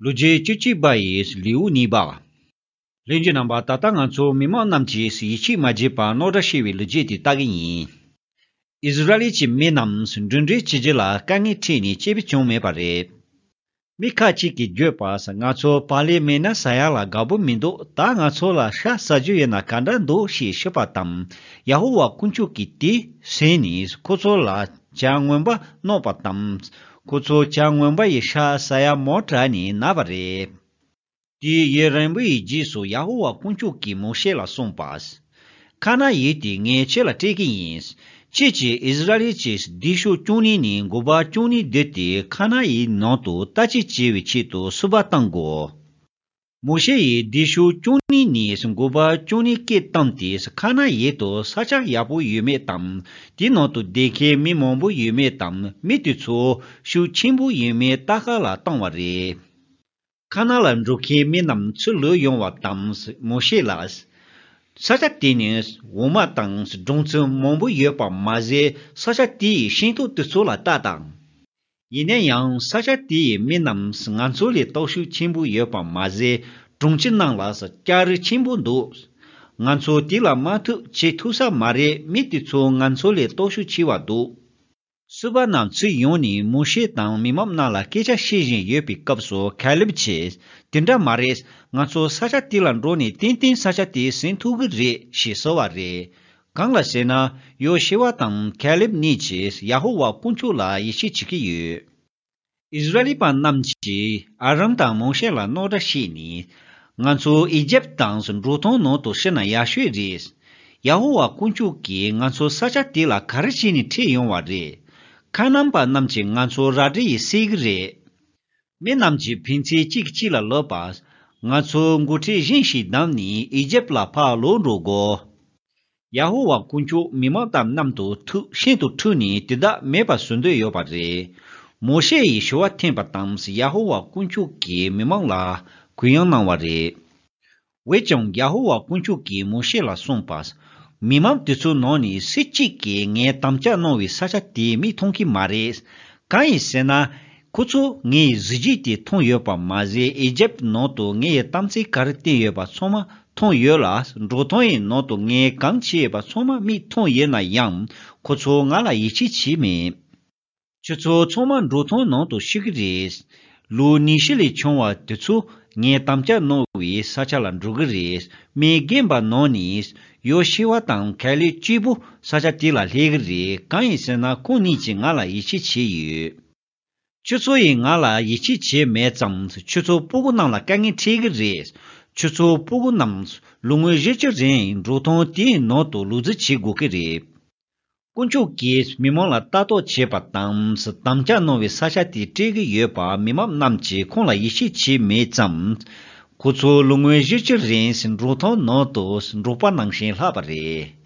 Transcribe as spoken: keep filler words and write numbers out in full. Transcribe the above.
ལོ་རྒྱུས་བཅུ་གཅིག་པ་ཡི་ལེའུ་གཉིས་པ། ལྷན་རྒྱས་རྣམ་པ། ད་ལྟ་ང་ཚོ་མི་མང་རྣམས་ཀྱིས་ཡིད་ཆེས་མ་བྱས་པར་རྣོ་དྲགས་བྱས་པའི་ལོ་རྒྱུས་དེ་ལྟ་གི་ཡིན། ཨིསི་ར་ཨེལ་གྱི་མི་རྣམས་འགྲིམ་འགྲུལ་བྱེད་རྒྱུ་ལ་དཀའ་ངལ་འཕྲད་ནས་སྐྱིད་པོ་བྱུང་མེད་པ་རེད། མི་ཁ་ཅིག་གིས་བརྗོད་པར། ང་ཚོ་བག་ལེབ་མེད་ན་ཟ་ཡག་ལ་དགའ་པོ་མི་འདུག་ད་ང་ཚོ་ལ་ཤ་ཟ་རྒྱུ་ཡོད་ན་ག་འདྲ་འདུག་ཞེས་ཞུས་པ་དང་། ཡ་ཧོ་ཝཱ་དཀོན་མཆོག་གིས་དེ་གཟིགས་ནས་ཁོ་ཚོ་ལ་བྱ་རྔོན་པ་གནང་བ་དང་། ཁོ་ཚོ་བྱ་རྔོན་པ་ཡི་ཤ་ཟ་ཡག་མོ་དྲགས་ནས་ན་བ་རེད། དེའི་ཡུན་རིང་པོའི་རྗེས་སུ་ཡ་ཧོ་ཝཱ་དཀོན་མཆོག་གིས་མོ་ཤེ་ལ་གསུངས་པ། ཁ་ནན་ཡུལ་དེ་ངས་ཁྱེད་ལ་སྤྲད་ཀྱི་ཡིན། ཁྱེད་ཀྱིས་ཨིསི་ར་ཨེལ་གྱི་སྡེ་ཤོག་བཅུ་གཉིས་ནས་འགོ་པ་བཅུ་གཉིས་བསྡུས་ཏེ་ཁ་ནན་ཡུལ་ནང་དུ་ལྟ་སྐྱེལ་བྱེད་པའི་ཆེད་དུ་སུ་པ་བཏང་དགོས། མོ་ཤེ་ཡིས་སྡེ་ཤོག་བཅུ་གཉིས་ནས་འགོ་པ་བཅུ་གཉིས་སྐད་བཏང་སྟེ་ཁ་ནན་ཡུལ་དུ་ས་ཆ་ཡག་པོ་ཡོད་མེད་དང་། དེའི་ནང་དུ་བསྡད་མཁན་མི་མང་པོ་ཡོད་མེད་དང་། མི་དེ་ཚོ་ཤུགས་ཆེན་པོ་ཡོད་མེད་ལྟ་ག་ལ་བཏང་བ་རེད། ཁ་ནན་ལ་འགྲོ་མཁན་མི་རྣམས་ཚུར་ལོག་ཡོང་བ་དང་། མོ་ཤེ་ལ། ས་ཆ་དེ་ནི་འོ་མ་དང་སྦྲང་རྩི་མང་པོ་ཡོད་པ་མ་ཟད། ས་ཆ་དེ་ཡི་ཤིང་ཏོག་དེ་ཚོ་ལ་ལྟ་དང་། ཡིན་ན་ཡང་ས་ཆ་དེ་ཡི་མི་རྣམས་ང་ཚོ་ལས་སྟོབས་ཤུགས་ཆེན་པོ་ཡོད་པ་མ་ཟད། གྲོང་ཁྱེར་ནང་ལ་སྐྱ་རིས་ཆེན་པོ་འདུག་ང་ཚོ་དེ་ལ་མ་ཐུག་བྱེད་ཐུབ་ས་མ་རེད། མི་དེ་ཚོ་ང་ཚོ་ལས་སྟོབས་ཤུགས་ཆེ་བ་འདུག་སུ་པ་རྣམས་ཚུར་ཡོང་ནས་མོ་ཤེ་དང་མི་མང་རྣམས་ལ་སྐད་ཆ་བཤད་བཞིན་ཡོད་པའི་སྐབས་སུ། ཁ་ལེབ་གྱིས། དེ་འདྲ་མ་རེད། ང་ཚོ་ས་ཆ་དེ་ལ་འགྲོ་ནས་ཏན་ཏན་ས་ཆ་དེ་ཟིན་ཐུབ་ཀྱི་རེད་ཞེས་ཟེར་བ་རེད། གང་ལ་ཟེར་ན། ཡོ་ཤུ་ཝ་དང་ཁ་ལེབ་གཉིས་ཀྱིས་ཡ་ཧོ་ཝཱ་དཀོན་མཆོག་ལ་ཡིད་ཆེས་བྱེད་ཀྱི་ཡོད། ཨིསི་ར་ཨེལ་པ་རྣམས་ཀྱིས་ཨ་རོན་དང་མོ་ཤེ་ལ་རྣོ་དྲགས་བྱས་ནས། ང་ཚོ་ཨི་ཇེབ་དང་འབྲོག་ཐང་ནང་དུ་ཤི་ན་ཡག་ཤོས་རེད། ཡ་ཧོ་ཝཱ་དཀོན་མཆོག་གིས་ང་ཚོ་ས་ཆ་དེ་ལ་ག་རེ་བྱས་ནས་ཁྲིད་ཡོང་བ་རེད། ཁ་ནན་པ་རྣམས་ཀྱིས་ང་ཚོ་རལ་གྲི་ཡིས་བསད་ཀྱི་རེད། མི་རྣམས་ཀྱིས་ཕན་ཚུན་གཅིག་གིས་གཅིག་ལ་ལབ་པ། ང་ཚོ་འགོ་ཁྲིད་གཞན་ཞིག་བདམས་ནས་ཨི་ཇེབ་ལ་ཕར་ལོག་འགྲོ་དགོས། ཡ་ཧོ་ཝཱ་དཀོན་མཆོག་མི་མང་དང་མཉམ་དུ་ཐུག་ཤིན་ཏུ་འཁྲུགས་ནས་དེ་དག་མེད་པར་བཟོ་འདོད་ཡོད་པ་རེད། མོ་ཤེ་ཡིས་ཞུ་བ་འཐེན་པ་དང་། ཡ་ཧོ་ཝཱ་དཀོན་མཆོག་གིས་མི་མང་ལ་གུ་ཡངས་གནང་བ་རེད། འོན་ཀྱང་ཡ་ཧོ་ཝཱ་དཀོན་མཆོག་གིས་མོ་ཤེ་ལ་གསུངས་པ། མི་མང་དེ་ཚོའི་ནང་ནས་སུ་གཅིག་གིས་ངས་དམ་བཅའ་གནང་བའི་ས་ཆ་དེ་མིག་མཐོང་གི་མ་རེད། གང་ཡིན་ཟེར་ན། ཁོ་ཚོ་ངའི་གཟི་བརྗིད་དེ་མཐོང་ཡོད་པ་མ་ཟད། ཨི་ཇེབ་ནང་དུ་ངའི་གཏམ་ཚིག་ག་རེ་བསྟན་ཡོད་པ་ཚང་མ་མཐོང་ཡོད་ལ། འབྲོག་ཐང་ཡི་ནང་དུ་ངས་གང་བྱས་ཡོད་པ་ཚང་མ་མིག་མཐོང་ཡོད་ན་ཡང་། ཁོ་ཚོ་ང་ལ་ཡིད་ཆེས་བྱས་མེད། ཁྱོད་ཚོ་ཚང་མ་འབྲོག་ཐང་ནང་དུ་ཤི་གི་རེད། ལོ་ཉི་ཤུ་ལས་ཆུང་བ་དེ་ཚོ་ངས་དམ་བཅའ་གནང་བའི་ས་ཆ་ལ་འགྲོ་གི་རེད། མི་རྒན་པ་ནང་ནས་ཡོ་ཤུ་ཝ་དང་ཁ་ལེབ་གཅིག་པུ་ས་ཆ་དེ་ལ་སླེབས་གི་རེད། གང་ཡིན་ཟེར་ན། ཁོང་གཉིས་ཀྱིས་ང་ལ་ཡིད་ཆེས་བྱས་ཡོད། ཁྱོད་ཚོ་ཡིས་ང་ལ་ཡིད་ཆེས་བྱས་མེད་ཙང་། ཁྱོད་ཚོ་སྤུ་གུ་རྣམས་ལ་དཀའ་ངལ་འཕྲད་ཀྱི་རེད། ཁྱོད་ཚོ་སྤུ་གུ་རྣམས་ལོ་ངོ་བཞི་བཅུ་རིང་འབྲོག་ཐང་དེའི་ནང་དུ་ལུས་རྩལ་བྱེད་དགོས་ཀྱི་རེད། དཀོན་མཆོག་གིས་མི་མང་ལ་ལྟ་རྟོག་བྱེད་པ་དང་། དམ་བཅའ་གནང་བའི་ས་ཆ་དེ་སྤྲད་ཀྱི་ཡོད་པ་མི་མང་རྣམས་ཀྱིས་ཁོང་ལ་ཡིད་ཆེས་བྱས་མེད་ཙང་། ཁོ་ཚོ་ལོ་ངོ་བཞི་བཅུ་རིང་འབྲོག་ཐང་ནང་དུ་འབྲོག་པ་ནང་བཞིན་ལྷག་པ་རེད།